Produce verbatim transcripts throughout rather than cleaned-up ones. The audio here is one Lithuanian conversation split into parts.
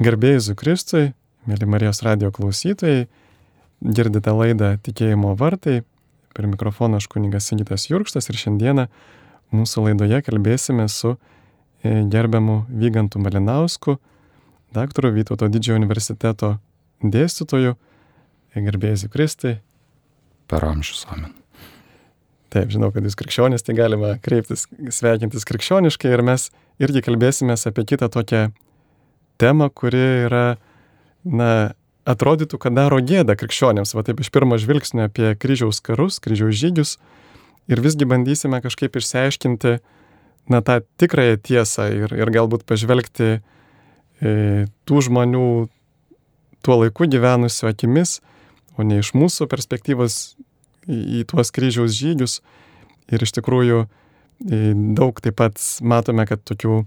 Garbėjai Jėzui Kristui, mėly Marijos radijo klausytojai, girdite laidą Tikėjimo vartai, per mikrofoną aš kunigas Sigitas Jurkštas ir šiandieną mūsų laidoje kalbėsime su gerbiamu Vygantu Malinausku, daktaru Vytauto Didžiojo universiteto dėstytoju. Garbėjai Jėzui Kristui. Per amžius, amen. Taip, žinau, kad jūs krikščionis, tai galima kreiptis, sveikintis krikščioniškai ir mes irgi kalbėsime apie kitą tokią temą, kuri yra, na, atrodytų, kad daro gėdą krikščionėms, va taip iš pirmo žvilgsnio apie kryžiaus karus, kryžiaus žygius ir visgi bandysime kažkaip išsiaiškinti, na, tą tikrąją tiesą ir, ir galbūt pažvelgti e, tų žmonių tuo laiku gyvenusių akimis, o ne iš mūsų perspektyvos į, į tuos kryžiaus žygius. Ir iš tikrųjų e, daug taip pat matome, kad tokių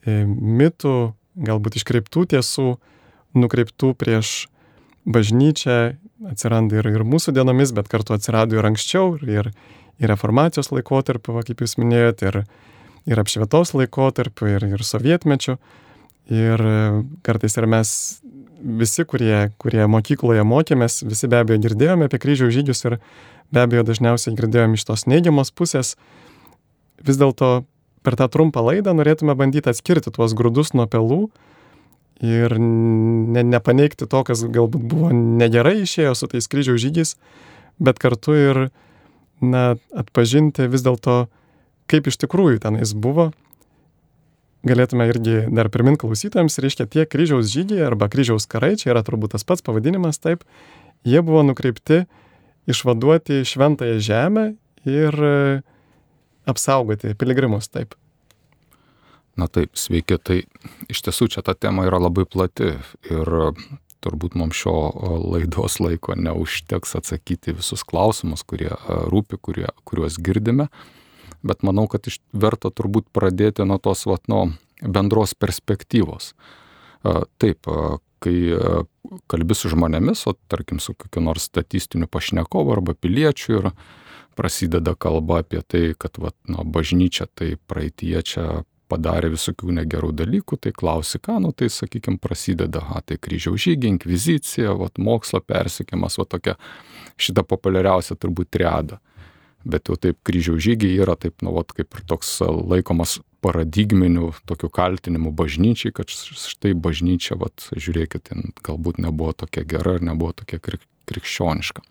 e, mitų, galbūt iškreiptų tiesų, nukreiptų prieš bažnyčią atsiranda ir, ir mūsų dienomis, bet kartu atsirado ir anksčiau, ir, ir reformacijos laikotarpiu, va, kaip jūs minėjote, ir, ir apšvietos laikotarpiu, ir, ir sovietmečiu. Ir kartais ir mes visi, kurie, kurie mokykloje mokėmės, visi be abejo girdėjome apie kryžiaus žygius ir be abejo dažniausiai girdėjome iš tos neigiamos pusės. Vis dėlto per tą trumpą laidą norėtume bandyti atskirti tuos grūdus nuo pelų ir ne, nepaneigti to, kas galbūt buvo negerai išėjo su tais kryžiaus žygiais, bet kartu ir, na, atpažinti vis dėlto, kaip iš tikrųjų tenais buvo. Galėtume irgi dar primint klausytojams, reiškia tie kryžiaus žygiai arba kryžiaus karai, čia yra turbūt tas pats pavadinimas, taip, jie buvo nukreipti išvaduoti šventąją žemę ir apsaugoti piligrimus, taip. Na taip, sveiki, tai iš tiesų čia ta tema yra labai plati ir turbūt mums šio laidos laiko neužteks atsakyti visus klausimus, kurie rūpi, kurie, kuriuos girdime, bet manau, kad iš, verta turbūt pradėti nuo tos vat, nuo bendros perspektyvos. Taip, kai kalbi su žmonėmis, o tarkim su kokiu nors statistiniu pašnekovu arba piliečiu ir prasideda kalba apie tai, kad vat, nu, bažnyčia tai praeityje čia padarė visokių negerų dalykų, tai klausi ką, nu tai sakykim prasideda, a, tai kryžiaus žygiai, inkvizicija, vat, mokslo persekimas, va tokia šita populiariausia turbūt triada. Bet jau taip kryžiaus žygiai yra taip, nu, vat, kaip ir toks laikomas paradigminiu tokiu kaltinimu bažnyčiai, kad štai bažnyčia, vat, žiūrėkit, galbūt nebuvo tokia gera ir nebuvo tokia krik, krikščioniška.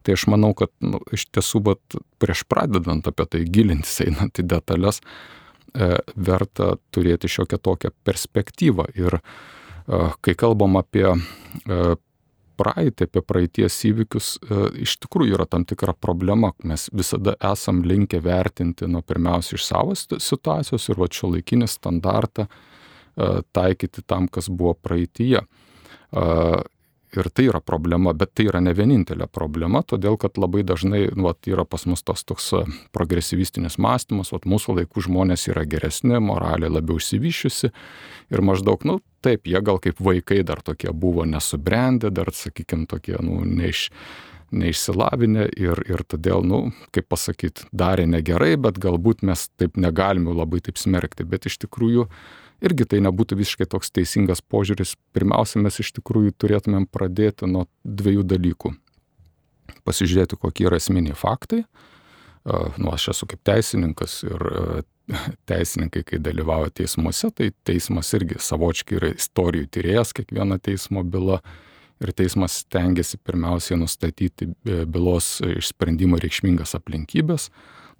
Tai aš manau, kad nu, iš tiesų, vat, prieš pradedant apie tai gilintis, einant į detalės, e, verta turėti šiokią tokią perspektyvą. Ir e, kai kalbam apie e, praeitį, apie praeities įvykius, e, iš tikrųjų yra tam tikra problema. Mes visada esam linkę vertinti, nu, pirmiausia iš savo situacijos ir va šiuolaikinį standartą e, taikyti tam, kas buvo praeityje. E, ir tai yra problema, bet tai yra ne vienintelė problema, todėl kad labai dažnai nu, va, yra pas mus tos toks progresyvistinis mąstymas, va, mūsų laikų žmonės yra geresni, moraliai labiau išsivyščiusi ir maždaug, nu, taip, jie gal kaip vaikai dar tokie buvo nesubrendę, dar, sakykime, tokie, nu, neiš, neišsilavinę ir, ir todėl, nu, kaip pasakyti, darė negerai, bet galbūt mes taip negalime labai taip smerkti, bet iš tikrųjų irgi tai nebūtų visiškai toks teisingas požiūris. Pirmiausia, mes iš tikrųjų turėtumėm pradėti nuo dviejų dalykų. Pasižiūrėti, kokie yra esminiai faktai. Nu, aš esu kaip teisininkas ir teisininkai, kai dalyvauja teismuose, tai teismas irgi savočiai yra istorijų tyrėjas, kiekviena teismo byla. Ir teismas stengiasi pirmiausiai nustatyti bylos išsprendimo reikšmingas aplinkybės,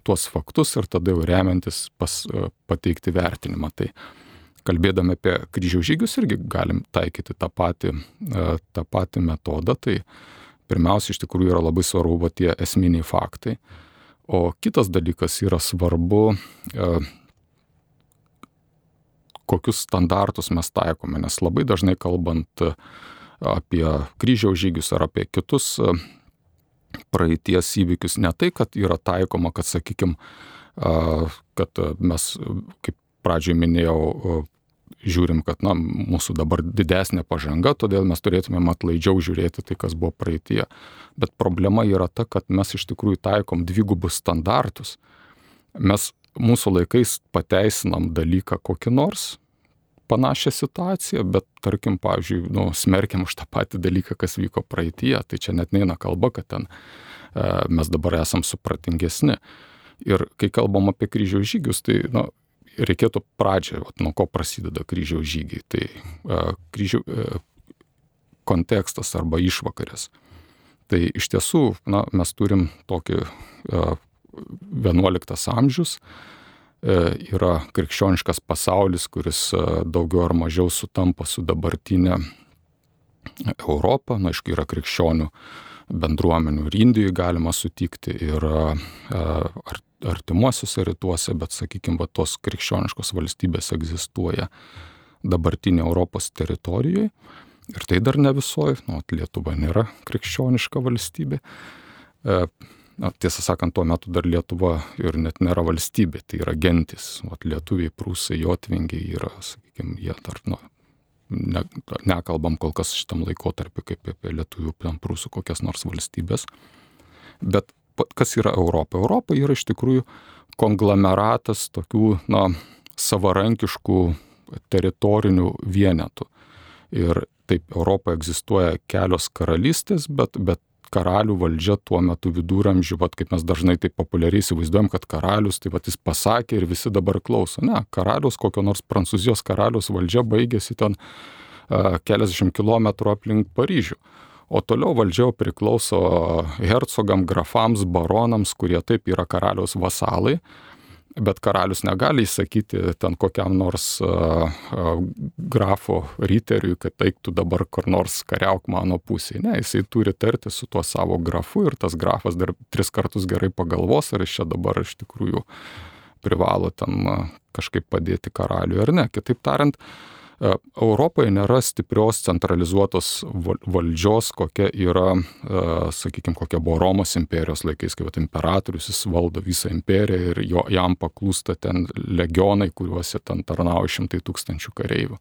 tuos faktus ir tada jau remiantis pas, pateikti vertinimą. Tai kalbėdami apie kryžiaus žygius irgi galim taikyti tą patį, tą patį metodą. Tai pirmiausia, iš tikrųjų yra labai svarbu va, tie esminiai faktai. O kitas dalykas yra svarbu, kokius standartus mes taikome, nes labai dažnai kalbant apie kryžiaus žygius ar apie kitus praeities įvykius, ne tai, kad yra taikoma, kad, sakykime, kad mes, kaip pradžioj minėjau, žiūrim, kad na, mūsų dabar didesnė pažanga, todėl mes turėtumėm atlaidžiau žiūrėti tai, kas buvo praeityje. Bet problema yra ta, kad mes iš tikrųjų taikom dvigubus standartus. Mes mūsų laikais pateisinam dalyką kokį nors, panašią situaciją, bet tarkim, pavyzdžiui, nu, smerkiam už tą patį dalyką, kas vyko praeityje, tai čia net neina kalba, kad ten e, mes dabar esam supratingesni. Ir kai kalbam apie kryžiaus žygius, tai nu, reikėtų pradžią, vat, nuo ko prasideda kryžiaus žygiai. Tai e, kryžių, e, kontekstas arba išvakarės. Tai iš tiesų, na, mes turim tokį e, vienuoliktas amžius, e, yra krikščioniškas pasaulis, kuris e, daugiau ar mažiau sutampa su dabartinė Europa. Na, aišku, yra krikščionių bendruomenių ir Indijoje galima sutikti ir ar, artimuosiuose rytuose, bet, sakykime, va, tos krikščioniškos valstybės egzistuoja dabartinė Europos teritorijoje. Ir tai dar ne visoji, nu, Lietuva nėra krikščioniška valstybė. Na, tiesą sakant, tuo metu dar Lietuva ir net nėra valstybė, tai yra gentis. Va, lietuviai, prūsai, jotvingiai yra, sakykime, jie dar, nu, Ne, nekalbam kol kas šitam laikotarpiu kaip apie lietuvių, prūsų kokias nors valstybės. Bet kas yra Europa? Europa yra iš tikrųjų konglomeratas tokių, na, savarankiškų teritorinių vienetų. Ir taip, Europoje egzistuoja kelios karalystės, bet, bet karalių valdžia tuo metu viduramžių, vat, kaip mes dažnai taip populiariai įsivaizduojam, kad karalius, tai vat, jis pasakė ir visi dabar klauso. Ne, karalius, kokio nors Prancūzijos karalius valdžia baigėsi ten uh, keliasdešimt kilometrų aplink Paryžių. O toliau valdžia priklauso hercogam, grafams, baronams, kurie taip yra karaliaus vasalai. Bet karalius negali įsakyti ten kokiam nors uh, uh, grafo riteriui, kad eiktų dabar kur nors kariauk mano pusėje. Ne, jisai turi tarti su tuo savo grafu ir tas grafas dar tris kartus gerai pagalvos, ar jis čia dabar iš tikrųjų privalo ten uh, kažkaip padėti karaliui ar ne. Kitaip tariant, uh, Europoje nėra stiprios centralizuotos valdžios, kokia yra, uh, sakykime, kokia buvo Romos imperijos laikais, kai vat, imperatorius jis valdo visą imperiją ir jo, jam paklūsta ten legionai, kuriuose ten tarnauja šimtai tūkstančių kareivių.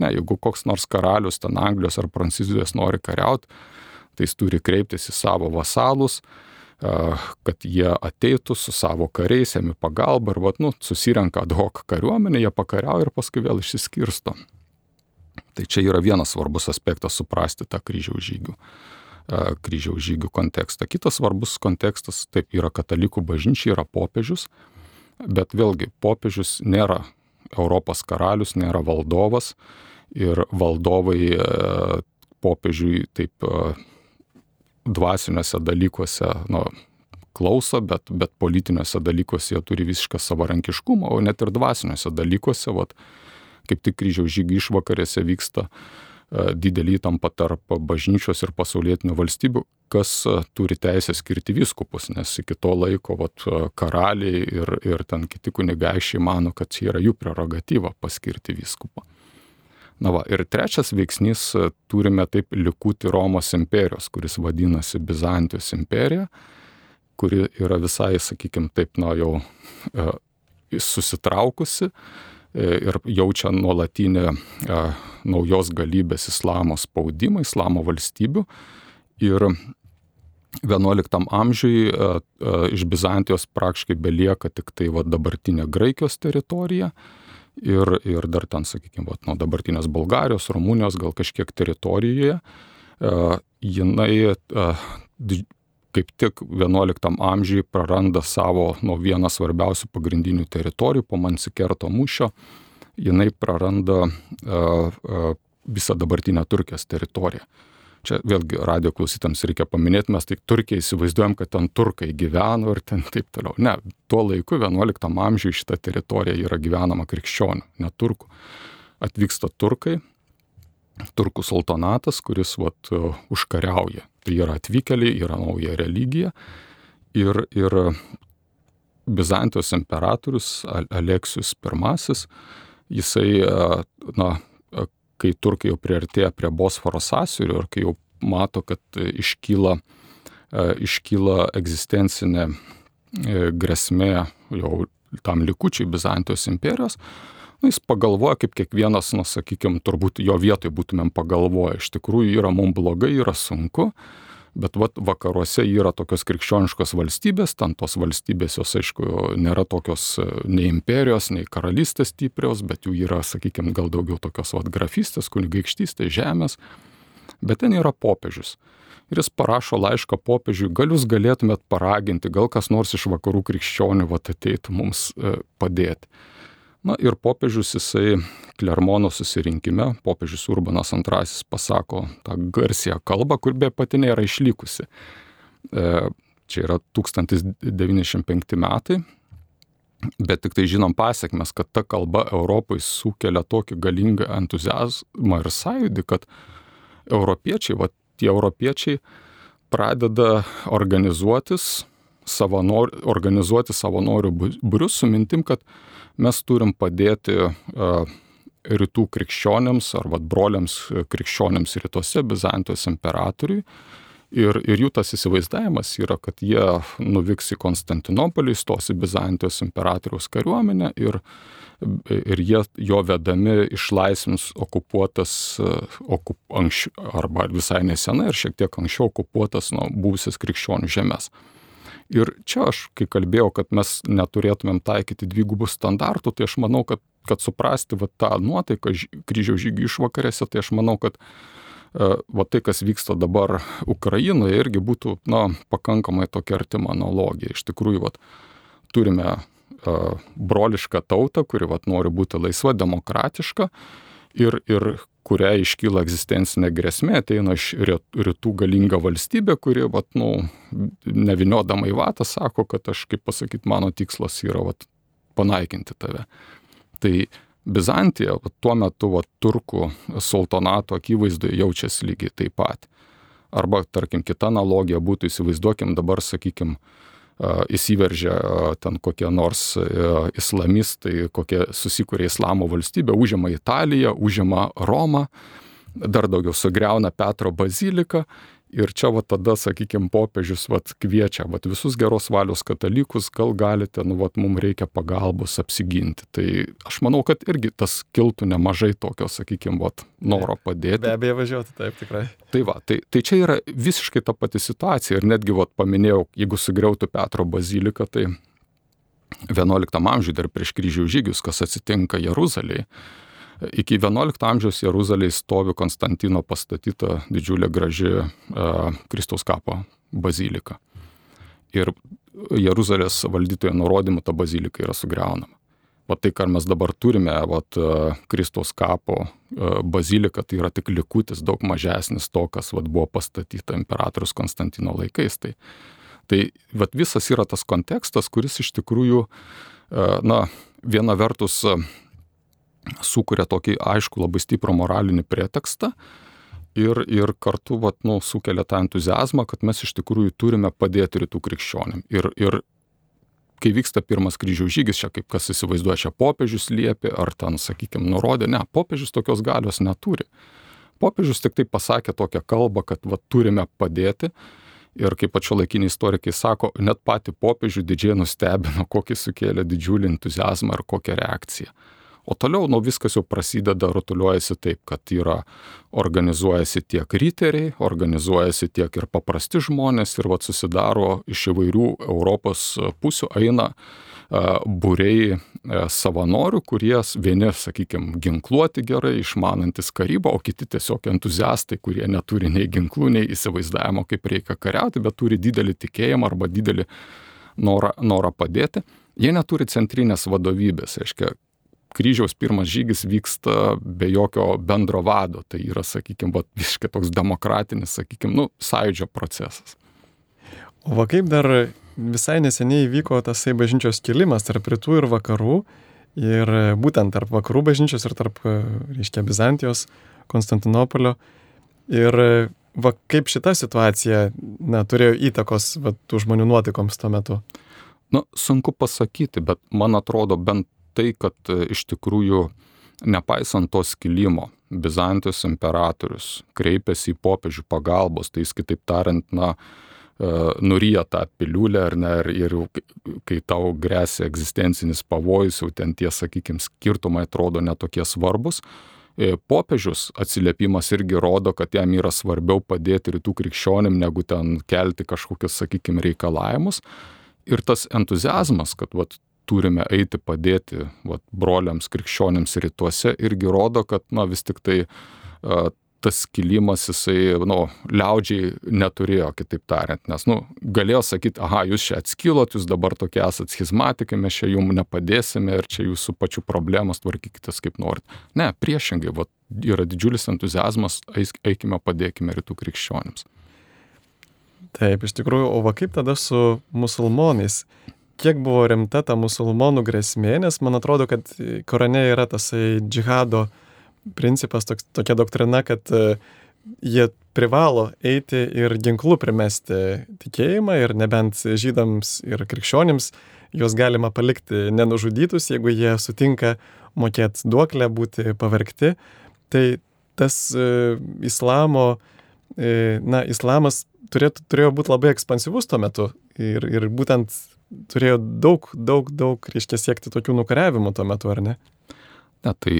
Ne, jeigu koks nors karalius ten Anglijos ar Prancūzijos nori kariauti, tai jis turi kreiptis į savo vasalus, uh, kad jie ateitų su savo kariais, jami pagalbą ir vat, nu, susirenka ad hoc kariuomenė, jie pakariauja ir paskui vėl išsiskirsto. Tai čia yra vienas svarbus aspektas suprasti tą kryžiaus žygių, kryžiaus žygių kontekstą. Kitas svarbus kontekstas, taip, yra katalikų bažnyčia, yra popiežius, bet vėlgi popiežius nėra Europos karalius, nėra valdovas ir valdovai popiežiui taip dvasiniuose dalykuose, nu, klauso, bet, bet politiniuose dalykuose jie turi visišką savarankiškumą, o net ir dvasiniuose dalykuose, vat, kaip tik kryžiaus žygių išvakarėse vyksta didelį įtampą tarp bažnyčios ir pasaulietinių valstybių, kas turi teisę skirti vyskupus, nes iki to laiko vat, karaliai ir, ir ten kiti kunigaikščiai mano, kad čia yra jų prerogatyva paskirti vyskupą. Na va, ir trečias veiksnys, turime taip likutį Romos imperijos, kuris vadinasi Bizantijos imperija, kuri yra visai, sakykime, taip, na, jau e, susitraukusi ir jaučia nuolatinį e, naujos galybės islamo spaudimą, islamo valstybių. Ir vienuoliktam amžiui e, e, iš Bizantijos praktiškai belieka tik tai va, dabartinė Graikijos teritorija ir, ir dar ten, sakykime, va, nuo dabartinės Bulgarijos, Rumunijos, gal kažkiek teritorijoje. E, jinai e, kaip tik vienuoliktam amžiui praranda savo nuo vieną svarbiausių pagrindinių teritorijų po Mansikerto mūšio. Jinai praranda uh, uh, visą dabartinę Turkijos teritoriją. Čia vėlgi radijo klausytams reikia paminėti, mes tik Turkiją įsivaizduojam, kad ten turkai gyveno ir ten taip toliau. Ne, tuo laiku vienuoliktam amžiui šita teritorija yra gyvenama krikščionių, ne turkų. Atvyksta turkai, turkų sultonatas, kuris vat, uh, užkariauja. Tai yra atvykėliai, yra nauja religija ir, ir Bizantijos imperatorius Aleksijus pirmasis, jisai, na, kai turkai jau priartėja prie Bosforo sąsiaurio ir kai jau mato, kad iškyla, iškyla egzistencinė grėsmė jau tam likučiai Bizantijos imperijos, nu, jis pagalvoja, kaip kiekvienas, nu, sakykime, turbūt jo vietoj būtumėm pagalvoję. Iš tikrųjų yra mums blogai, yra sunku, Bet vat vakaruose yra tokios krikščioniškos valstybės, ten tos valstybės jos, aišku, nėra tokios nei imperijos, nei karalystės stiprios, bet jų yra, sakykime, gal daugiau tokios vat grafystės, kunigaikštystės, žemės. Bet ten yra popiežius. Ir jis parašo laišką popiežiui, gal jūs galėtumėt paraginti, gal kas nors iš vakarų krikščionių vat ateitų mums padėti. Na ir popiežius jisai Klermono susirinkime, popiežius Urbanas antrasis pasako tą garsią kalbą, kur be pati nėra išlikusi. E, čia yra tūkstantis devyni šimtai penkti metai, bet tik tai žinom pasiekmes, kad ta kalba Europai sukelia tokį galingą entuziazmą ir sąjūdį, kad europiečiai, va tie europiečiai pradeda organizuotis savanori, organizuoti savanorių būrius su mintim, kad mes turim padėti uh, rytų krikščionėms ar vat broliams krikščionėms rytuose, Bizantijos imperatoriui. Ir, ir jų tas įsivaizdavimas yra, kad jie nuvyks į Konstantinopolį, stos į Bizantijos imperatoriaus kariuomenę ir, ir jie jo vedami išlaisvins okupuotas, okup, anksčiau, arba visai nesenai ir šiek tiek anksčiau okupuotas nuo buvusias krikščionių žemės. Ir čia aš, kai kalbėjau, kad mes neturėtumėm taikyti dvigubų standartų, tai aš manau, kad, kad suprasti va, tą nuotaiką kryžiaus žygių išvakarėse, tai aš manau, kad uh, va, tai, kas vyksta dabar Ukrainoje, irgi būtų na, pakankamai tokia artima analogija. Iš tikrųjų, va, turime uh, brolišką tautą, kuri va, nori būti laisva, demokratiška ir, ir kuriai iškyla egzistencinė grėsmė, ateina iš rytų galinga valstybė, kuri, vat, nu, neviniodama į vatą, sako, kad aš, kaip pasakyti, mano tikslas yra vat, panaikinti tave. Tai Bizantija vat, tuo metu vat, turkų sultonato akivaizdoje jaučiasi lygiai taip pat. Arba, tarkim, kita analogija būtų, įsivaizduokim dabar, sakykim, įsiveržia ten kokie nors islamistai, kokie susikūrė islamo valstybę, užima Italiją, užima Romą, dar daugiau sugriauna Petro baziliką ir čia va tada, sakykime, popiežius va kviečia va visus geros valios katalikus, gal galite, nu va mums reikia pagalbos apsiginti. Tai aš manau, kad irgi tas kiltų nemažai tokio, sakykime, va noro padėti. Be abejo važiuoti, taip tikrai. Tai va, tai, tai čia yra visiškai ta pati situacija ir netgi va paminėjau, jeigu sugriautų Petro baziliką, tai vienuoliktam amžiuje dar prieš kryžiaus žygius, kas atsitinka Jeruzalėje. Iki vienuolikto amžiaus Jeruzalėje stovi Konstantino pastatyta didžiulė graži uh, Kristaus kapo bazilika. Ir Jeruzalės valdytojo nurodymu ta bazilika yra sugriaunama. Va tai, ką mes dabar turime, vat, uh, Kristaus kapo uh, bazilika, tai yra tik likutis daug mažesnis to, kas vat, buvo pastatyta imperatorius Konstantino laikais. Tai, tai vat, visas yra tas kontekstas, kuris iš tikrųjų, uh, na, viena vertus uh, sukuria tokį aišku labai stiprų moralinį pretekstą ir, ir kartu vat, nu, sukelia tą entuziazmą, kad mes iš tikrųjų turime padėti rytų krikščionėm. Ir, ir kai vyksta pirmas kryžiaus žygis, čia kaip kas įsivaizduoja, čia popiežius liepė, ar ten, sakykime, nurodė, ne, popiežius tokios galios neturi. Popiežius tik tai pasakė tokią kalbą, kad vat, turime padėti. Ir kaip pačio laikiniai istorikai sako, net patį popiežių didžiai nustebino, kokį sukėlė didžiulį entuziazmą ir kokią reakciją. O toliau, nu, viskas jau prasideda, rutuliuojasi taip, kad yra, organizuojasi tiek riteriai, organizuojasi tiek ir paprasti žmonės ir vat susidaro iš įvairių Europos pusių eina uh, būriai uh, savanorių, kurie vieni, sakykime, ginkluoti gerai, išmanantis karybą, o kiti tiesiog entuziastai, kurie neturi nei ginklų, nei įsivaizdavimo, kaip reikia kariauti, bet turi didelį tikėjimą arba didelį norą, norą padėti. Jie neturi centrinės vadovybės, reiškia, kryžiaus pirmas žygis vyksta be jokio bendro vado, tai yra, sakykime, visiškai toks demokratinis, sakykime, nu, sąjūdžio procesas. O va kaip dar visai neseniai vyko tasai bažnyčios kilimas tarp rytų ir vakarų, ir būtent tarp vakarų bažnyčios ir tarp, reiškia, Bizantijos, Konstantinopolio. Ir va kaip šita situacija, na, turėjo įtakos va, tų žmonių nuotaikoms tuo metu? Nu, sunku pasakyti, bet man atrodo bent tai, kad iš tikrųjų, nepaisant to skilimo, Bizantijos imperatorius kreipėsi į popiežių pagalbos, tai jis kitaip tariant, na, nuryja tą piliulę, ar ne, ir, ir kai tau grėsia egzistencinis pavojus, jau ten tie, sakykime, skirtumai atrodo netokie svarbus, popiežius atsiliepimas irgi rodo, kad jam yra svarbiau padėti rytų krikščionim, negu ten kelti kažkokius, sakykime, reikalavimus. Ir tas entuziazmas, kad vat, turime eiti padėti vat, broliams krikščionims rytuose, irgi rodo, kad na, vis tik tai uh, tas kilimas jisai, nu, liaudžiai neturėjo, kitaip tariant, nes, nu, galėjo sakyti, aha, jūs čia atskilot, jūs dabar tokie esat schizmatikai, mes čia jums nepadėsime ir čia jūsų pačių problemas tvarkykitės kaip norit. Ne, priešingai, vat, yra didžiulis entuziazmas, eikime, padėkime rytų krikščionims. Taip, iš tikrųjų, o va kaip tada su musulmonais? Kiek buvo rimta ta musulmonų grėsmė, nes man atrodo, kad Korane yra tasai džihado principas, toks, tokia doktrina, kad uh, jie privalo eiti ir ginklų primesti tikėjimą ir nebent žydams ir krikščionims juos galima palikti nenužudytus, jeigu jie sutinka mokėti duoklę, būti pavergti. Tai tas uh, islamo, uh, na, islamas turėtų, turėjo būti labai ekspansyvus tuo metu ir, ir būtent turėjo daug, daug, daug, reiškia, siekti tokių nukariavimų tuo metu, ar ne? Ne, tai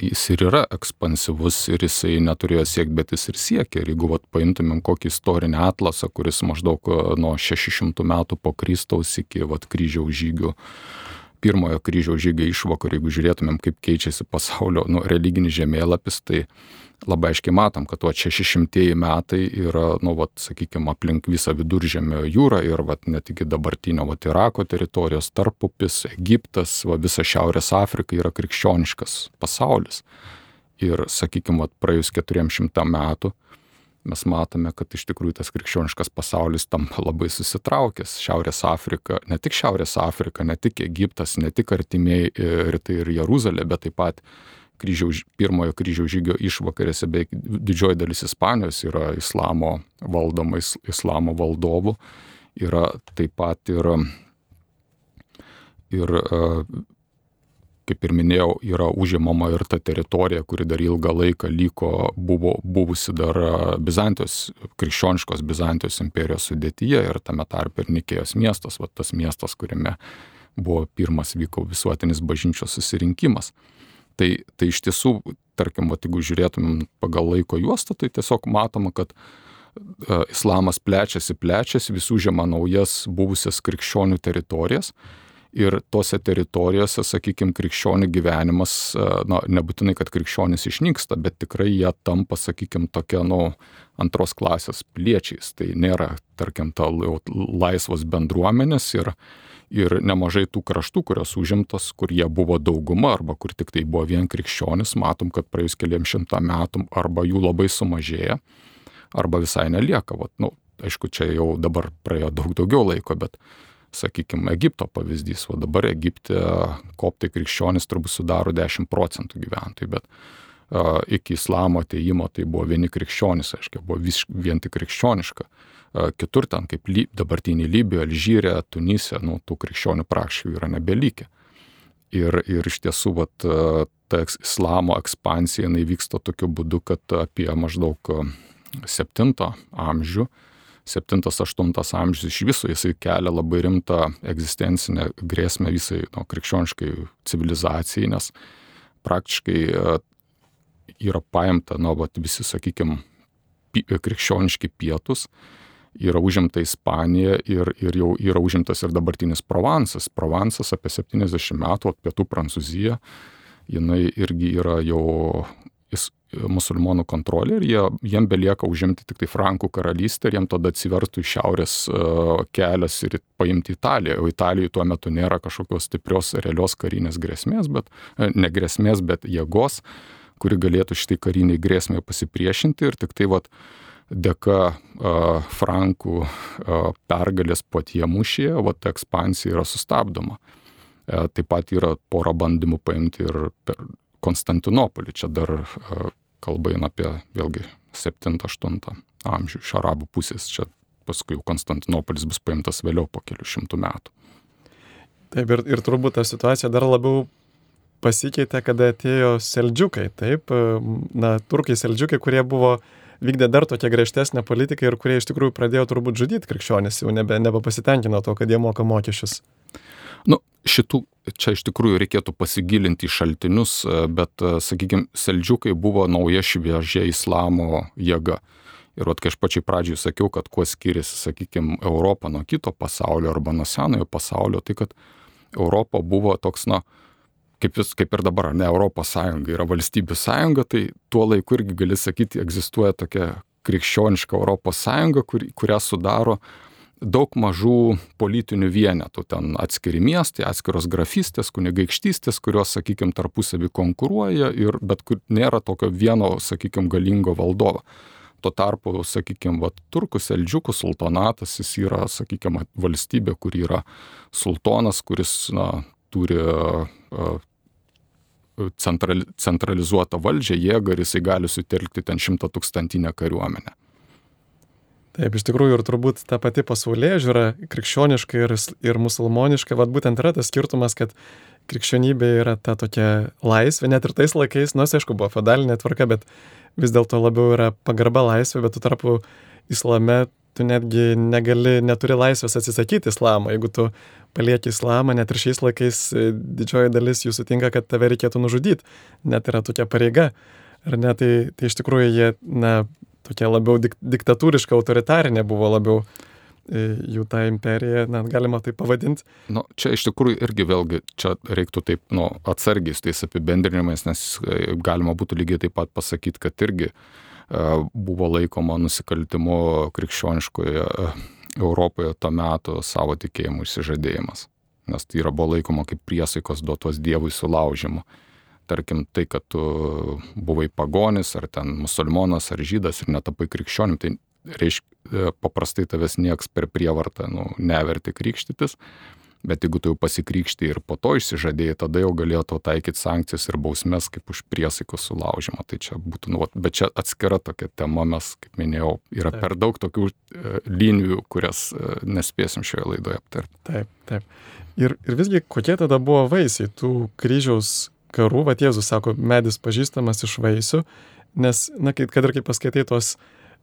jis ir yra ekspansyvus ir jisai neturėjo siekti, bet jis ir siekia. Ir jeigu vat, paimtumėm kokį istorinį atlasą, kuris maždaug nuo šešių šimtų metų po Kristaus iki vat, kryžiaus žygių, pirmojo kryžiaus žygio išvakar, jeigu žiūrėtumėm, kaip keičiasi pasaulio nu, religinis žemėlapis, tai labai aiškiai matom, kad vat, šešišimtieji metai yra, nu, vat, sakykime, aplink visą Viduržemio jūrą ir vat, net iki dabartinio vat, Irako teritorijos, Tarpupis, Egiptas, va, visa Šiaurės Afrika yra krikščioniškas pasaulis. Ir, sakykime, vat, praėjus keturiem šimtam metų mes matome, kad iš tikrųjų tas krikščioniškas pasaulis tampa labai susitraukęs. Šiaurės Afrika, ne tik Šiaurės Afrika, ne tik Egiptas, ne tik artimieji rytai ir Jeruzalė, bet taip pat kryžiaus, pirmojo kryžiaus žygio išvakarėse, beveik didžioji dalis Ispanijos yra islamo valdoma, islamo valdovų. Yra taip pat ir, ir kaip ir minėjau, yra užimama ir ta teritorija, kuri dar ilgą laiką liko, buvo buvusi dar Bizantijos, krikščioniškos Bizantijos imperijos sudėtyje ir tame tarpe ir Nikėjos miestas, va, tas miestas, kuriame buvo pirmas vyko visuotinis bažnyčios susirinkimas. Tai, tai iš tiesų, tarkim, va, jeigu žiūrėtumėm pagal laiko juostą, tai tiesiog matoma, kad uh, islamas plečiasi, plečiasi, vis užima naujas buvusias krikščionių teritorijas. Ir tose teritorijose, sakykime, krikščionių gyvenimas, na, nebūtinai, kad krikščionys išnyksta, bet tikrai jie tampa, sakykime, tokia, nu, antros klasės piliečiais. Tai nėra, tarkim, ta laisvos bendruomenės ir, ir nemažai tų kraštų, kurios užimtos, kur jie buvo dauguma arba kur tik tai buvo vien krikščionys, matom, kad praėjus keliam šimtą metų arba jų labai sumažėja, arba visai nelieka. Vat, nu, aišku, čia jau dabar praėjo daug daugiau laiko, bet sakykime, Egipto pavyzdys, o dabar Egipte koptai krikščionys turbūt sudaro dešimt procentų gyventojų, bet uh, iki islamo atėjimo tai buvo vieni krikščionys, aiškiai, buvo vis, vien tik krikščioniška. Uh, kitur ten, kaip Ly, dabartinį Libiją, Alžyrę, Tunise, nu, tų krikščionių praktiškai yra nebelikę. Ir, ir iš tiesų, vat, ta islamo ekspansija, jinai vyksta tokiu būdu, kad apie maždaug septintą amžių, septintas aštuntas amžius iš viso jisai kelia labai rimtą egzistencinę grėsmę visai nu, krikščioniškai civilizacijai, nes praktiškai yra paimta, nu, vat, visi, sakykime, krikščioniški pietus, yra užimta Ispanija ir, ir jau yra užimtas ir dabartinis Provansas. Provansas apie septyniasdešimt metų, pietų Prancūzija, jinai irgi yra jau musulmonų kontrolė ir jie, jiem belieka užimti tik tai Frankų karalystę ir jiem tada atsivertų iš šiaurės uh, kelias ir paimti Italiją. O Italijoje tuo metu nėra kažkokios stiprios realios karinės grėsmės, bet ne grėsmės, bet jėgos, kuri galėtų šitai kariniai grėsmė pasipriešinti ir tik tai vat, dėka uh, Frankų uh, pergalės Potie mūšyje, vat, ekspansija yra sustabdoma. Uh, taip pat yra pora bandymų paimti ir per Konstantinopolį. Čia dar uh, kalba eina apie vėlgi septintą aštuntą amžių iš arabų pusės. Čia paskui Konstantinopolis bus paimtas vėliau po kelių šimtų metų. Taip, ir, ir turbūt ta situacija dar labiau pasikeitė, kada atėjo seldžiukai. Taip, na, turkai seldžiukai, kurie buvo vykdė dar tokią griežtesnę politiką ir kurie iš tikrųjų pradėjo turbūt žudyti krikščionis, jau nebe, nebepasitenkino to, kad jie moka mokesčius. Nu, šitų, čia iš tikrųjų reikėtų pasigilinti į šaltinius, bet, sakykime, seldžiukai buvo nauja šviežia islamo jėga. Ir vat, kai aš pačiai pradžiai sakiau, kad kuo skiriasi, sakykime, Europa nuo kito pasaulio arba nuo senojo pasaulio, tai kad Europa buvo toks, na, kaip, vis, kaip ir dabar, ne Europos Sąjunga, yra valstybių sąjunga, tai tuo laiku irgi gali sakyti, egzistuoja tokia krikščioniška Europos Sąjunga, kur, kurią sudaro daug mažų politinių vienetų, ten atskiri miestai, atskiros grafystės, kunigaikštystės, kurios, sakykime, tarpusavį konkuruoja, ir, bet kur nėra tokio vieno, sakykime, galingo valdovo. Tuo tarpu, sakykime, vat, turkų seldžiukų sultonatas, jis yra, sakykime, valstybė, kur yra sultonas, kuris, na, turi uh, central, centralizuotą valdžią, jėgą, ir jisai gali sutelkti ten šimtatūkstantinę kariuomenę. Taip, iš tikrųjų, ir turbūt ta pati pasaulėžiūra, krikščioniška ir, ir musulmoniška, vat būtent yra tas skirtumas, kad krikščionybė yra ta tokia laisvė, net ir tais laikais, nors aišku, buvo feodalinė tvarka, bet vis dėlto labiau yra pagarba laisvė, bet tu tarpu islame tu netgi negali, neturi laisvės atsisakyti islamą. Jeigu tu palieki islamą, net ir šiais laikais didžioji dalis jų sutinka, kad tave reikėtų nužudyti, net yra tokia pareiga. Ar ne, tai, tai iš tikrųjų jie, na, tokia labiau dik, diktatūriška, autoritarinė buvo labiau jų tą imperiją, net galima tai pavadinti. Nu, čia iš tikrųjų irgi vėlgi, čia reiktų taip, nu, atsargiai su tais apibendrinimais, nes galima būtų lygiai taip pat pasakyti, kad irgi uh, buvo laikoma nusikaltimu krikščioniškoje uh, Europoje to metu savo tikėjimų išsižadėjimas. Nes tai yra buvo laikoma kaip priesaikos duotos Dievui sulaužimu. Tarkim, tai, kad tu buvai pagonis, ar ten musulmonas, ar žydas ir netapai krikščionim, tai reiškia, paprastai tavęs nieks per prievartą, nu, neverti krikštytis, bet jeigu tu jau pasikrikšti ir po to išsižadėjai, tada jau galėjo tau taikyti sankcijas ir bausmes kaip už priesaikos sulaužimą. Tai čia būtų, nu, bet čia atskira tokia tema, mes, kaip minėjau, yra taip. Per daug tokių e, linijų, kurias e, nespėsim šioje laidoje aptarti. Taip, taip. Ir, ir visgi, kokie tada buvo vaisiai tų kryžiaus karų? Vat Jėzus sako, medis pažįstamas iš vaisių, nes, na, kad ir kaip paskaitai tos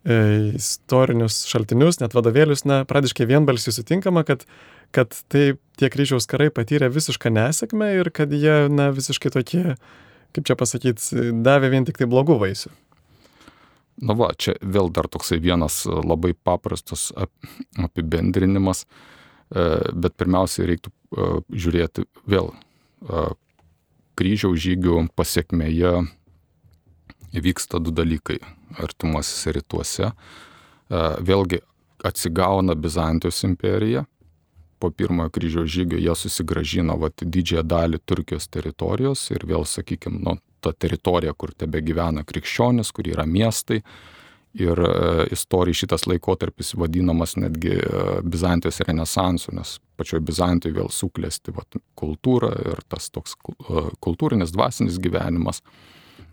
istorinius šaltinius, net vadovėlius, na, pradiškai vienbalsiai sutinkama, kad, kad tai tie kryžiaus karai patyrė visišką nesėkmę ir kad jie, na, visiškai tokie, kaip čia pasakyti, davė vien tik tai blogų vaisių. Na va, čia vėl dar toksai vienas labai paprastas apibendrinimas, bet pirmiausiai reiktų žiūrėti vėl kryžiaus žygių pasiekmėje vyksta du dalykai artimuosiuose rytuose. Vėlgi atsigauna Bizantijos imperija. Po pirmojo kryžiaus žygio jie susigrąžina vat, didžiąją dalį Turkijos teritorijos ir vėl, sakykime, nu, ta teritorija, kur tebe gyvena krikščionis, kur yra miestai. Ir e, istorija šitas laikotarpis vadinamas netgi e, Bizantijos renesansu, nes pačioje Bizantijoje vėl suklesti vat, kultūra ir tas toks e, kultūrinis, dvasinis gyvenimas.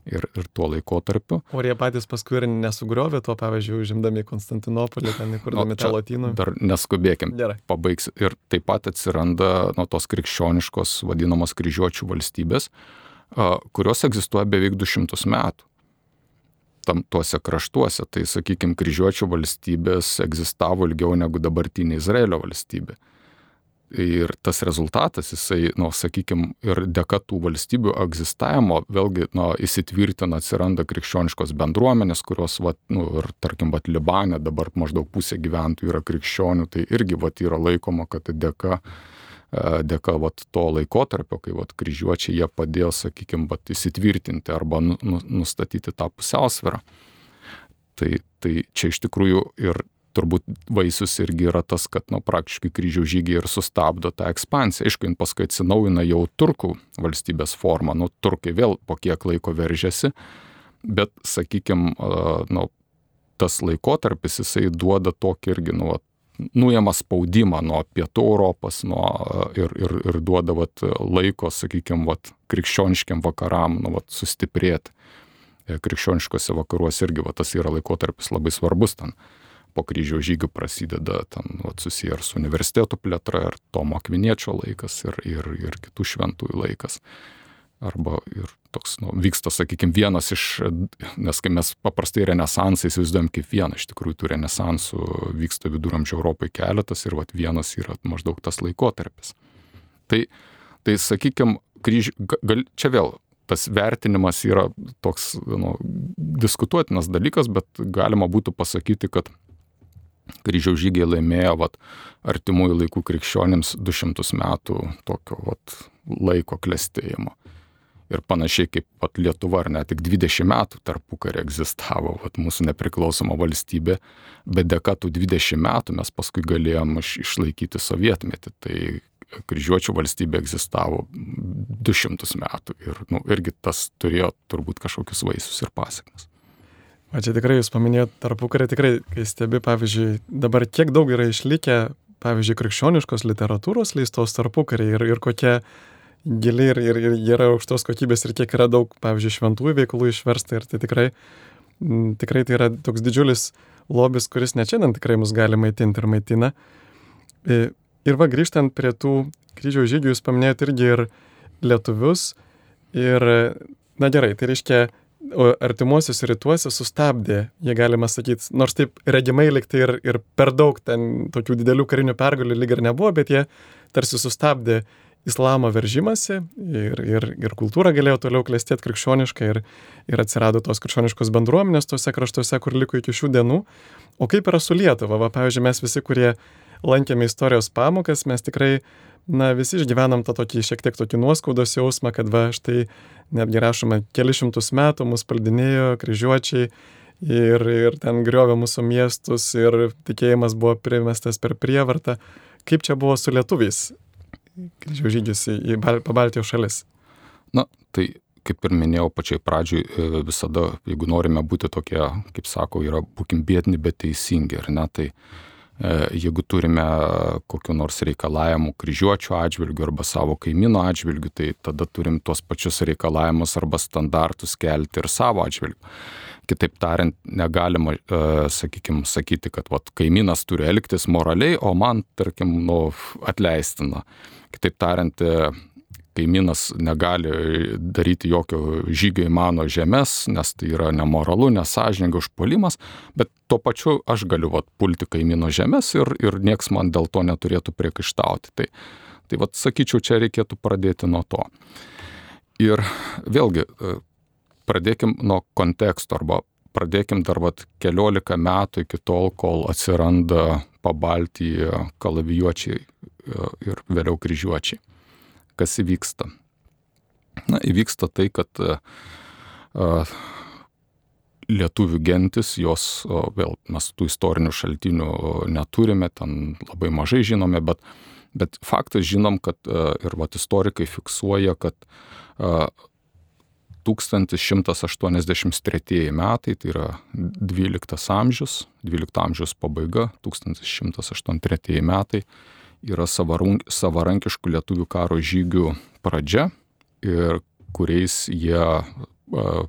Ir, ir tuo laikotarpiu. O jie patys paskui ir nesugriovė to, pavyzdžiui, užimdami Konstantinopolį, ten įkurdami tą lotynų. Dar neskubėkim, Gerai. Pabaigs. Ir taip pat atsiranda nuo tos krikščioniškos vadinamos kryžiuočių valstybės, kurios egzistuoja beveik du šimtus metų. Tam tuose kraštuose, tai, sakykime, kryžiuočių valstybės egzistavo ilgiau negu dabartinė Izraelio valstybė. Ir tas rezultatas, jisai, nu, sakykime, ir dėka tų valstybių egzistavimo, vėlgi, nu, įsitvirtina, atsiranda krikščioniškos bendruomenės, kurios, vat, nu, ir, tarkim, vat, Libane dabar maždaug pusė gyventojų yra krikščionių, tai irgi, vat, yra laikoma, kad dėka, dėka, vat, to laikotarpio, kai, vat, kryžiuočiai jie padėjo, sakykime, vat, įsitvirtinti arba nu, nu, nustatyti tą pusiausvyrą. Tai, tai čia iš tikrųjų ir turbūt vaisius irgi yra tas, kad, nu, praktiškai kryžiaus žygiai ir sustabdo tą ekspansiją. Aišku, jin paskui atsinaujina jau turkų valstybės formą, nu, turkai vėl po kiek laiko veržėsi, bet, sakykime, nu, tas laikotarpis, jisai duoda tokį irgi, nu, nuėmą spaudimą nuo pietų Europos, nuo, ir, ir, ir duoda, vat, laiko, sakykime, vat, krikščioniškiam vakaram, nu, vat, sustiprėti. Krikščioniškose vakaruose irgi, vat, tas yra laikotarpis labai svarbus ten. Po kryžiaus žygių prasideda ten, vat, susiję ir su universitetų plėtra, ir Tomo Akviniečio laikas, ir, ir, ir kitų šventųjų laikas. Arba ir toks, nu, vyksta, sakykime, vienas iš, nes kai mes paprastai renesansą įsivaizduojam kaip vieną, iš tikrųjų tų renesansų vyksta viduramžių Europai keletas ir vat, vienas yra maždaug tas laikotarpis. Tai, tai sakykime, kryž... gal... čia vėl tas vertinimas yra toks nu, diskutuotinas dalykas, bet galima būtų pasakyti, kad kryžiaus žygiai laimėjo vat, artimųjų laikų krikščionims du šimtus metų tokio vat, laiko klestėjimo. Ir panašiai kaip vat, Lietuva, ar ne, tik dvidešimt metų tarpukarį egzistavo vat, mūsų nepriklausoma valstybė, bet dėka tų dvidešimt metų mes paskui galėjom iš, išlaikyti sovietmetį. Tai kryžiuočių valstybė egzistavo du šimtus metų ir nu, irgi tas turėjo turbūt kažkokius vaisius ir pasiekmes. O čia tikrai jūs paminėjot tarpukarį, tikrai, kai stebi, pavyzdžiui, dabar kiek daug yra išlikę, pavyzdžiui, krikščioniškos literatūros leistos tarpukarį ir, ir kokia gili ir, ir, ir yra aukštos kokybės ir kiek yra daug, pavyzdžiui, šventųjų veikalų išversta ir tai tikrai, m, tikrai tai yra toks didžiulis lobis, kuris net šiandien tikrai mus gali maitinti ir maitina. Ir, ir va, grįžtant prie tų kryžiaus žygių, jūs paminėjot irgi ir lietuvius ir, na gerai, tai reiškia, o artimuosius rytuose sustabdė, jie galima sakyti, nors taip regimai liktai ir, ir per daug ten tokių didelių karinių pergalių lyg ir nebuvo, bet jie tarsi sustabdė islamo veržimąsi ir, ir, ir kultūra galėjo toliau klestėti krikščioniškai ir, ir atsirado tos krikščioniškos bendruomenės tose kraštuose, kur liko iki šių dienų. O kaip yra su Lietuva? Va, pavyzdžiui, mes visi, kurie lankėme istorijos pamokas, mes tikrai na, visi išgyvenam tą tokį šiek tiek tokį nuoskaudos jausmą, kad va, štai netgi rašoma, keli šimtus metų mus paldinėjo kryžiuočiai ir, ir ten griovė mūsų miestus ir tikėjimas buvo primestas per prievartą. Kaip čia buvo su lietuviais kryžiaus žygius į, į Pabaltijos šalis? Na, tai kaip ir minėjau pačiai pradžioj, visada, jeigu norime būti tokie, kaip sako, yra būkim biedni, bet teisingi, ar ne, tai jeigu turime kokiu nors reikalavimu kryžiuočių atžvilgių arba savo kaimyno atžvilgių, tai tada turim tuos pačius reikalavimus arba standartus kelti ir savo atžvilgių. Kitaip tariant, negalima, sakykime, sakyti, kad vat, kaimynas turi elgtis moraliai, o man, tarkim, nu, atleistina. Kitaip tariant, kaimynas negali daryti jokio žygio į mano žemės, nes tai yra nemoralu, nesąžininga užpuolimas, bet tuo pačiu aš galiu vat, pulti kaimyno žemės ir, ir nieks man dėl to neturėtų priekaištauti. Tai, tai vat, sakyčiau, čia reikėtų pradėti nuo to. Ir vėlgi, pradėkim nuo konteksto, arba pradėkim dar vat, keliolika metų iki tol, kol atsiranda Pabaltyje kalavijuočiai ir vėliau kryžiuočiai. Kas įvyksta? Na, įvyksta tai, kad uh, lietuvių gentis, jos, uh, vėl mes tų istorinių šaltinių neturime, ten labai mažai žinome, bet, bet faktas žinom, kad uh, ir vat, istorikai fiksuoja, kad uh, tūkstantis šimtas aštuoniasdešimt tretieji metai, tai yra dvyliktas amžius, dvylikto amžiaus pabaiga, tūkstantis šimtas aštuoniasdešimt tretieji metai, yra savarankiškų lietuvių karo žygių pradžia, ir kuriais jie uh,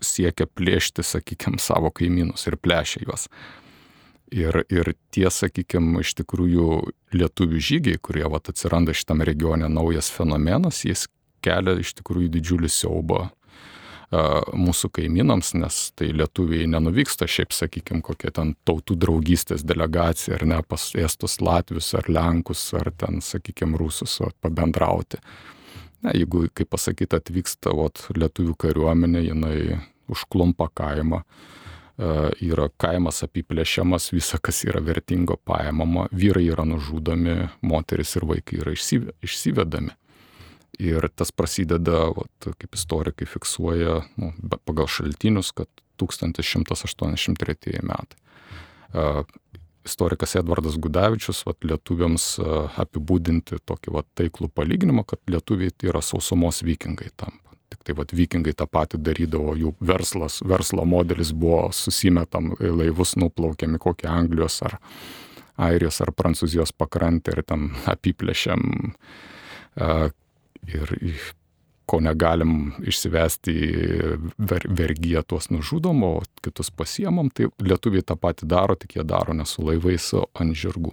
siekia plėšti, sakykime, savo kaimynus ir plėšia juos. Ir, ir tie, sakykime, iš tikrųjų lietuvių žygiai, kurie vat, atsiranda šitame regione naujas fenomenas, jis kelia iš tikrųjų didžiulį siaubą mūsų kaimynams, nes tai lietuviai nenuvyksta šiaip, sakykime, kokia ten tautų draugystės delegacija, ar ne, pas estus, latvius, ar lenkus, ar ten, sakykime, rusus pabendrauti. Na, jeigu, kaip pasakyti, atvyksta vat, lietuvių kariuomenė, jinai užklumpa kaimą, yra kaimas apiplėšiamas, visa, kas yra vertingo paimama, vyrai yra nužudomi, moteris ir vaikai yra išsivedami. Ir tas prasideda, vat, kaip istorikai fiksuoja, nu, pagal šaltinius, kad tūkstantis šimtas aštuoniasdešimt tretieji metai. Uh, istorikas Edvardas Gudavičius vat, lietuviams uh, apibūdinti tokį vat, taiklų palyginimą, kad lietuviai tai yra sausumos vikingai tampa. Tik tai vat, vikingai tą patį darydavo, jų verslas, verslo modelis buvo susimetam laivus, nuplaukiami kokią Anglijos ar Airijos ar Prancūzijos pakrantę ir ten apiplėšiam uh, ir ko negalim išsivesti ver, vergiją tuos nužudom, o kitus pasiemam, tai lietuviai tą patį daro, tik jie daro ne su laivais, o ant žirgų.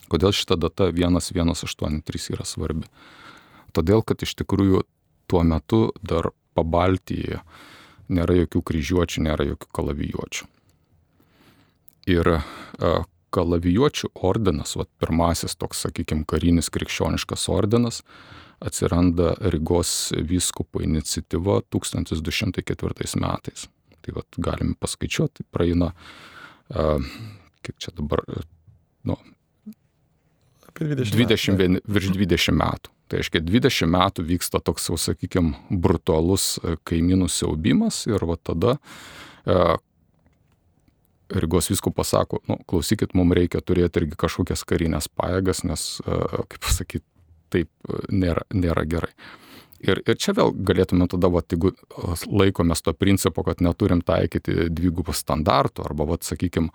Kodėl šita data vienas vienas aštuoni trys yra svarbi? Todėl, kad iš tikrųjų tuo metu dar Pabaltyje nėra jokių kryžiuočių, nėra jokių kalavijuočių. Ir kalavijuočių ordinas, vat, pirmasis toks, sakykime, karinis krikščioniškas ordinas, atsiranda Rygos vyskupo iniciatyva tūkstantis du šimtai ketvirtais metais. Tai vat, galime paskaičiuoti, praeina, uh, kiek čia dabar, nu, dvidešimt metų, virš dvidešimt metų. Tai reiškia, dvidešimt metų vyksta toks, jau, sakykime, brutalus kaimynų siaubimas ir va tada uh, Rygos vyskupas sako, nu, klausykit, mums reikia turėti irgi kažkokias karinės pajėgas, nes, uh, kaip pasakyti, taip nėra, nėra gerai. Ir, ir čia vėl galėtume tada, vat, jeigu laikomės to principo, kad neturim taikyti dvigubų standartų, arba, vat, sakykime,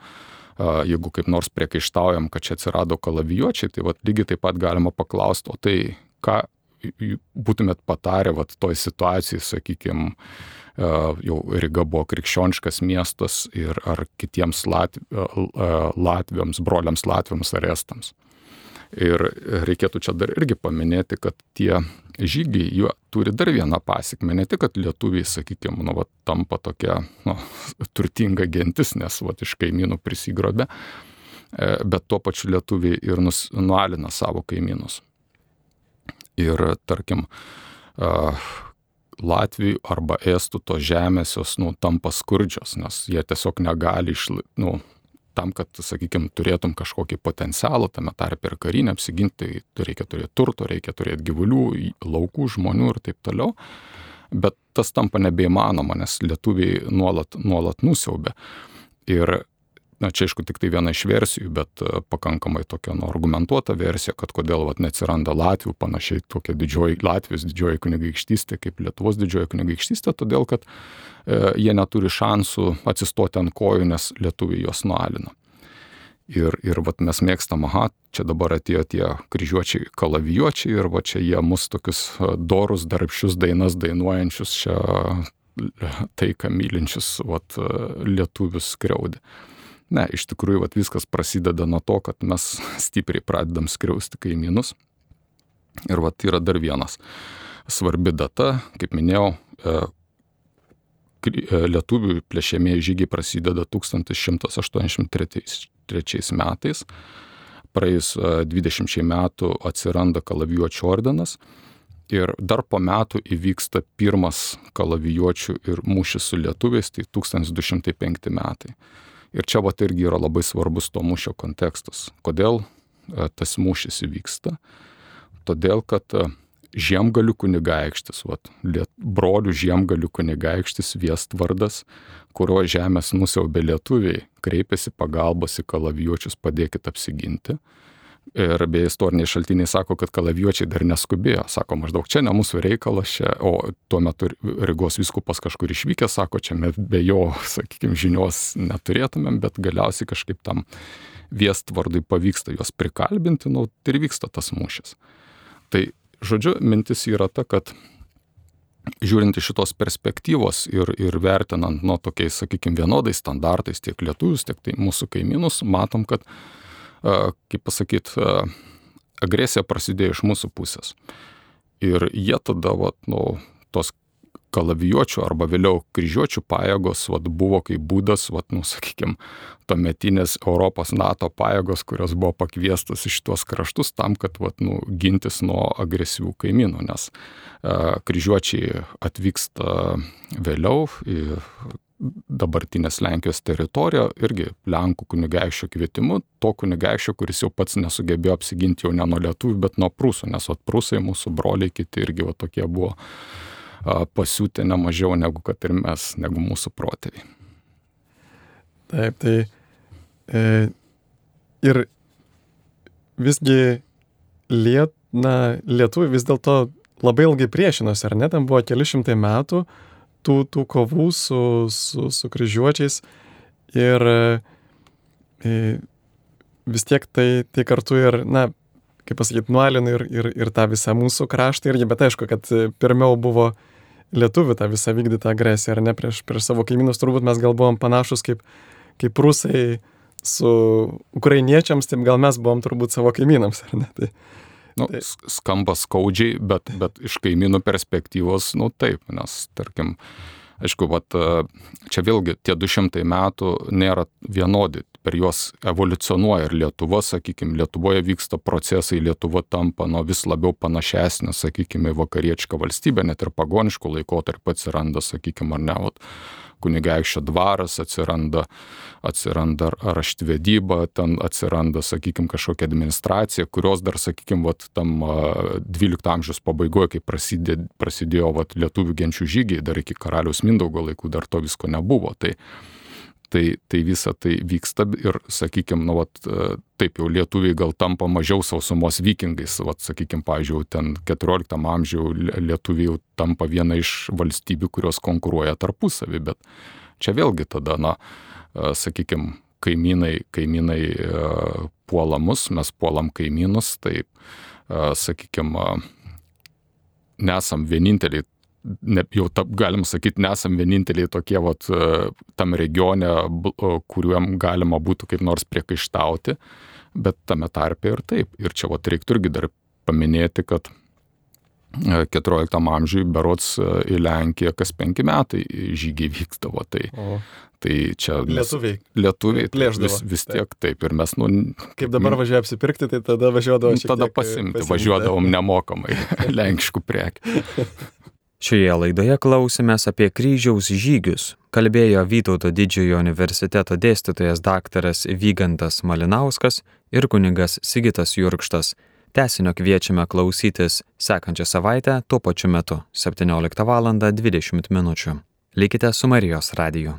jeigu kaip nors priekaištaujam, kad čia atsirado kalavijuočiai, tai vat, lygiai taip pat galima paklausti, o tai ką būtumėt patarę vat, toj situacijai, sakykime, jau Ryga buvo krikščioniškas miestas ir ar kitiems Latv... Latviams, broliams Latviams ar Estams. Ir reikėtų čia dar irgi paminėti, kad tie žygiai jų turi dar vieną pasekmę. Ne tik, kad lietuviai, sakykime, nu, va, tampa tokia nu, turtinga gentis, nes va, iš kaimynų prisigrobė, bet tuo pačiu lietuviai ir nus, nualina savo kaimynus. Ir, tarkim, Latvijų arba Estų tos žemės jos nu, tampa skurdžios, nes jie tiesiog negali išlaikyti. Nu, tam, kad, sakykime, turėtum kažkokį potencialą, tame tarpe ir karinę apsiginti, tai reikia turėti turto, reikia turėti gyvulių, laukų, žmonių ir taip toliau. Bet tas tampa nebeįmanoma, nes lietuviai nuolat, nuolat nusiaubė. Ir na, čia, aišku, tik tai viena iš versijų, bet pakankamai tokia nu, argumentuota versija, kad kodėl vat, neatsiranda Latvių, panašiai tokia didžioji Latvijos didžioji kunigaikštystė kaip Lietuvos didžioji kunigaikštystė, todėl kad e, jie neturi šansų atsistoti ant kojų, nes lietuviai juos nualina. Ir, ir vat, mes mėgstam, aha, čia dabar atėjo tie kryžiuočiai, kalavijuočiai ir va čia jie mus tokius dorus, darbščius dainas dainuojančius, čia taiką mylinčius vat, lietuvius skriaudė. Ne, iš tikrųjų, vat, viskas prasideda nuo to, kad mes stipriai pradedam skriausti kaimynus. Ir vat, yra dar vienas svarbi data, kaip minėjau, lietuvių plėšiamieji žygiai prasideda tūkstantis šimtas aštuoniasdešimt trečiais metais. Praėjus dvidešimčiai metų atsiranda kalavijuočių ordinas. Ir dar po metų įvyksta pirmas kalavijuočių ir mūšis su lietuviais, tai tūkstantis du šimtai penkti metai. Ir čia vat irgi yra labai svarbus to mūšio kontekstas. Kodėl tas mūšis įvyksta? Todėl, kad Žiemgalių kunigaikštis, vat, brolių Žiemgalių kunigaikštis Viestvardas, kurio žemės nusiaubė lietuviai, kreipėsi pagalbos į kalavijuočius, padėkit apsiginti. Ir beje istoriniai šaltiniai sako, kad kalavijuočiai dar neskubėjo. Sako, maždaug čia ne mūsų reikalas, čia, o tuo metu Rygos vyskupas kažkur išvykęs, sako, čia be jo, sakykime, žinios neturėtumėm, bet galiausiai kažkaip tam Viestvardui pavyksta juos prikalbinti, nu, ir vyksta tas mūšis. Tai, žodžiu, mintis yra ta, kad žiūrint iš šitos perspektyvos ir, ir vertinant, nu, tokiais, sakykime, vienodais standartais tiek lietuvius, tiek tai mūsų kaimynus, matom, kad kaip pasakyti, agresija prasidėjo iš mūsų pusės. Ir jie tada, vat, nu, tos kalavijuočių arba vėliau kryžiuočių pajėgos vat, buvo kaip būdas, vat, nu, sakykime, tuometinės Europos NATO pajėgos, kurios buvo pakviestos iš tuos kraštus tam, kad vat, nu, gintis nuo agresyvių kaimynų, nes uh, kryžiuočiai atvyksta vėliau į dabartinės Lenkijos teritoriją, irgi Lenkų kunigaikščio kvietimu, to kunigaikščio, kuris jau pats nesugebėjo apsiginti jau ne nuo lietuvių, bet nuo prūsų, nes vat, prūsai, mūsų broliai, kiti irgi vat, tokie buvo a, pasiūtę ne mažiau negu kad ir mes, negu mūsų protėviai. Taip, tai e, ir visgi liet, na, lietuviai vis dėlto labai ilgai priešinosi, ar ne, tam buvo keli šimtai metų, tų, tų kovų su, su, su kryžiuočiais ir e, vis tiek tai, tai kartu ir, na, kaip pasakyti, nualina ir, ir, ir tą visą mūsų kraštą irgi, bet aišku, kad pirmiau buvo lietuvių tą visą vykdytą agresiją, ar ne, prieš, prieš savo kaimynus, turbūt mes gal buvom panašus kaip, kaip rusai su ukrainiečiams, taip gal mes buvom turbūt savo kaimynams, ar ne, tai Nu, skamba skaudžiai, bet, bet iš kaimynų perspektyvos, nu taip, nes, tarkim, Aišku, vat, čia vėlgi tie du šimtai metų nėra vienodi, per juos evoliucionuoja ir Lietuva, sakykime, Lietuvoje vyksta procesai, Lietuva tampa nu, vis labiau panašesnė, sakykime, į vakarietišką valstybę, net ir pagoniškų laikotarpį atsiranda, sakykime, ar ne, vat, kunigaikščio dvaras atsiranda, atsiranda raštvedyba, ten atsiranda, sakykime, kažkokia administracija, kurios dar, sakykime, vat, tam dvylikto amžiaus pabaigoje, kai prasidėjo, prasidėjo vat, lietuvių genčių žygiai, dar iki karaliaus Mindaugo laikų dar to visko nebuvo. Tai, tai, tai visa tai vyksta ir, sakykime, nu, vat, taip jau lietuviai gal tampa mažiau sausumos vikingais. Vat, sakykime, pavyzdžiui, ten keturioliktam amžiuje lietuviai jau tampa viena iš valstybių, kurios konkuruoja tarpusavį, bet čia vėlgi tada, na, sakykime, kaimynai, kaimynai puola mus, mes puolam kaimynus, tai, sakykime, nesam vieninteliai, ne, jau ta, galim sakyti, nesam vieninteliai tokie vat, tam regione, kuriuom galima būtų kaip nors priekaištauti, bet tame tarpe ir taip. Ir čia vat, reiktų irgi dar paminėti, kad keturioliktam amžiui berods į Lenkiją kas penki metai žygiai vykdavo. Tai, tai čia lietuviai. Lietuviai plėždavo. Vis, vis tiek taip. Ir mes, nu, kaip dabar važiuoja apsipirkti, tai tada važiuodavom šiek tiek. Tada pasimti, pasimti. Važiuodavom nemokamai lenkiškų prekių. Šioje laidoje klausėmės apie kryžiaus žygius. Kalbėjo Vytauto Didžiojo universiteto dėstytojas daktaras Vygantas Malinauskas ir kunigas Sigitas Jurkštas. Tęsinio kviečiame klausytis sekančią savaitę tuo pačiu metu septynioliktą valandą dvidešimt minučių. Likite su Marijos radiju.